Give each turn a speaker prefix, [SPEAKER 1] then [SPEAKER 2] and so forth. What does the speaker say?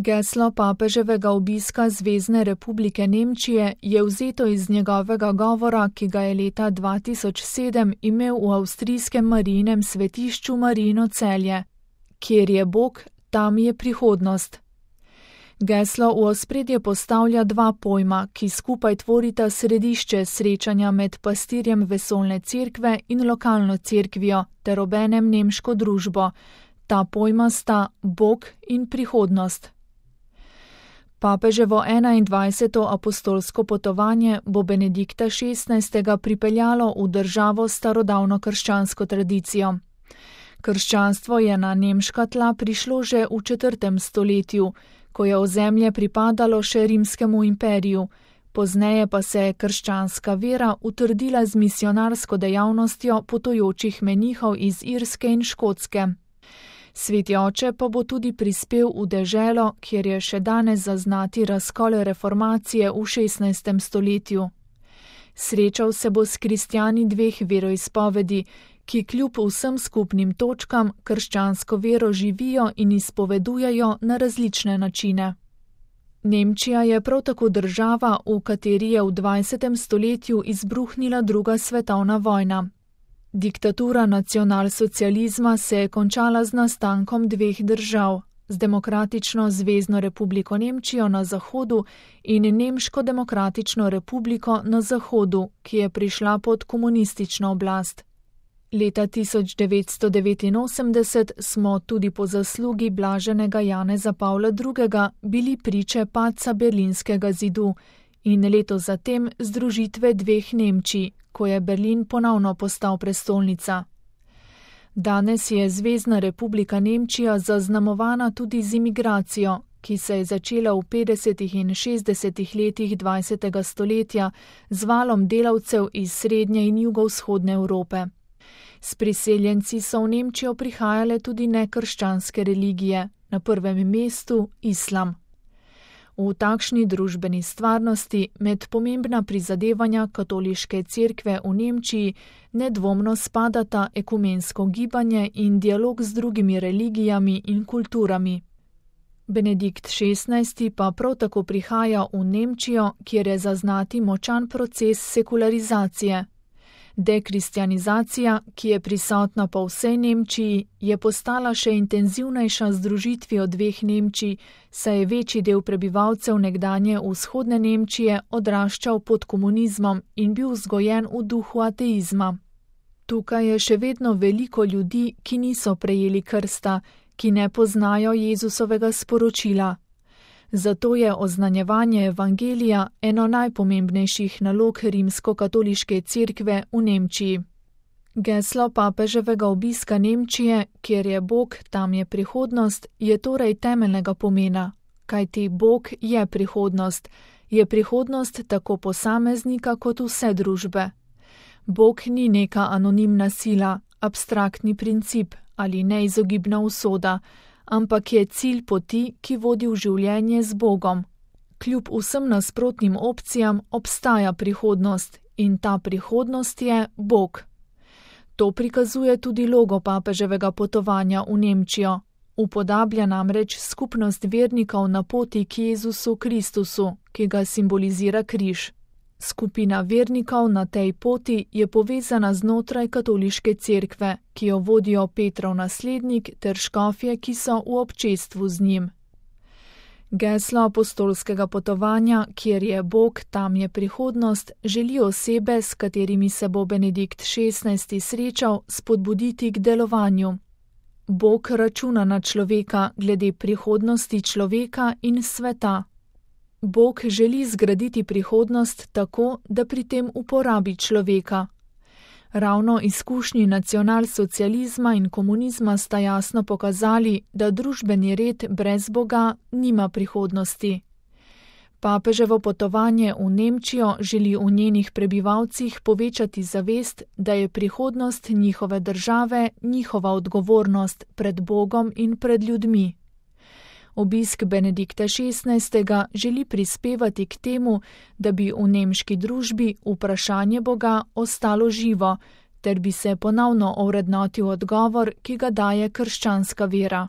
[SPEAKER 1] Geslo papeževega obiska Zvezne republike Nemčije je vzeto iz njegovega govora, ki ga je leta 2007 imel v avstrijskem Marijinem svetišču Marijino Celje. Kjer je Bog, tam je prihodnost. Geslo v ospredje postavlja dva pojma, ki skupaj tvorita središče srečanja med pastirjem vesoljne cerkve in lokalno cerkvijo ter obenem nemško družbo. Ta pojma sta Bog in prihodnost. Papeževo 21. apostolsko potovanje bo Benedikta XVI. Pripeljalo v državo s starodavno krščansko tradicijo. Krščanstvo je na nemška tla prišlo že v 4. stoletju, ko je ozemlje pripadalo še rimskemu imperiju, pozneje pa se je krščanska vera utrdila z misionarsko dejavnostjo potujočih menihov iz Irske in Škotske. Sveti oče pa bo tudi prispel v deželo, kjer je še danes zaznati razkol reformacije v 16. stoletju. Srečal se bo s kristjani dveh veroizpovedi, ki kljub vsem skupnim točkam krščansko vero živijo in izpovedujejo na različne načine. Nemčija je prav tako država, v kateri je v 20. stoletju izbruhnila druga svetovna vojna. Diktatura nacionalsocializma se je končala z nastankom dveh držav, z Demokratično zvezno republiko Nemčijo na zahodu in Nemško demokratično republiko na zahodu, ki je prišla pod komunistično oblast. Leta 1989 smo tudi po zaslugi blaženega Janeza Pavla II. Bili priče padca Berlinskega zidu in leto zatem združitve dveh Nemčij, ko je Berlin ponovno postal prestolnica. Danes je Zvezna republika Nemčija zaznamovana tudi z imigracijo, ki se je začela v 50. in 60. letih 20. stoletja z valom delavcev iz srednje in jugovzhodne Evrope. S priseljenci so v Nemčijo prihajale tudi nekrščanske religije, na prvem mestu islam. V takšni družbeni stvarnosti med pomembna prizadevanja katoliške cerkve v Nemčiji nedvomno spadata ekumensko gibanje in dialog z drugimi religijami in kulturami. Benedikt XVI. Pa prav tako prihaja v Nemčijo, kjer je zaznati močan proces sekularizacije. Dekristjanizacija, ki je prisotna po vsej Nemčiji, je postala še intenzivnejša z združitvijo dveh Nemčij, saj je večji del prebivalcev nekdanje vzhodne Nemčije odraščal pod komunizmom in bil vzgojen v duhu ateizma. Tukaj je še vedno veliko ljudi, ki niso prejeli krsta, ki ne poznajo Jezusovega sporočila. Zato je oznanjevanje evangelija eno najpomembnejših nalog rimsko-katoliške cerkve v Nemčiji. Geslo papeževega obiska Nemčije, kjer je Bog, tam je prihodnost, je torej temeljnega pomena, kajti Bog je prihodnost tako posameznika kot vse družbe. Bog ni neka anonimna sila, abstraktni princip ali neizogibna usoda, ampak je cilj poti, ki vodi v življenje z Bogom. Kljub vsem nasprotnim opcijam obstaja prihodnost in ta prihodnost je Bog. To prikazuje tudi logo papeževega potovanja v Nemčijo. Upodablja namreč skupnost vernikov na poti k Jezusu Kristusu, ki ga simbolizira križ. Skupina vernikov na tej poti je povezana znotraj katoliške cerkve, ki jo vodijo Petrov naslednik ter škofje, ki so v občestvu z njim. Geslo apostolskega potovanja, kjer je Bog, tam je prihodnost, želi osebe, s katerimi se bo Benedikt XVI. Srečal, spodbuditi k delovanju. Bog računa na človeka glede prihodnosti človeka in sveta. Bog želi zgraditi prihodnost tako, da pri tem uporabi človeka. Ravno izkušnji nacionalsocializma in komunizma sta jasno pokazali, da družbeni red brez Boga nima prihodnosti. Papeževo potovanje v Nemčijo želi v njenih prebivalcih povečati zavest, da je prihodnost njihove države njihova odgovornost pred Bogom in pred ljudmi. Obisk Benedikta XVI. Želi prispevati k temu, da bi v nemški družbi vprašanje Boga ostalo živo, ter bi se ponovno ovrednotil odgovor, ki ga daje krščanska vera.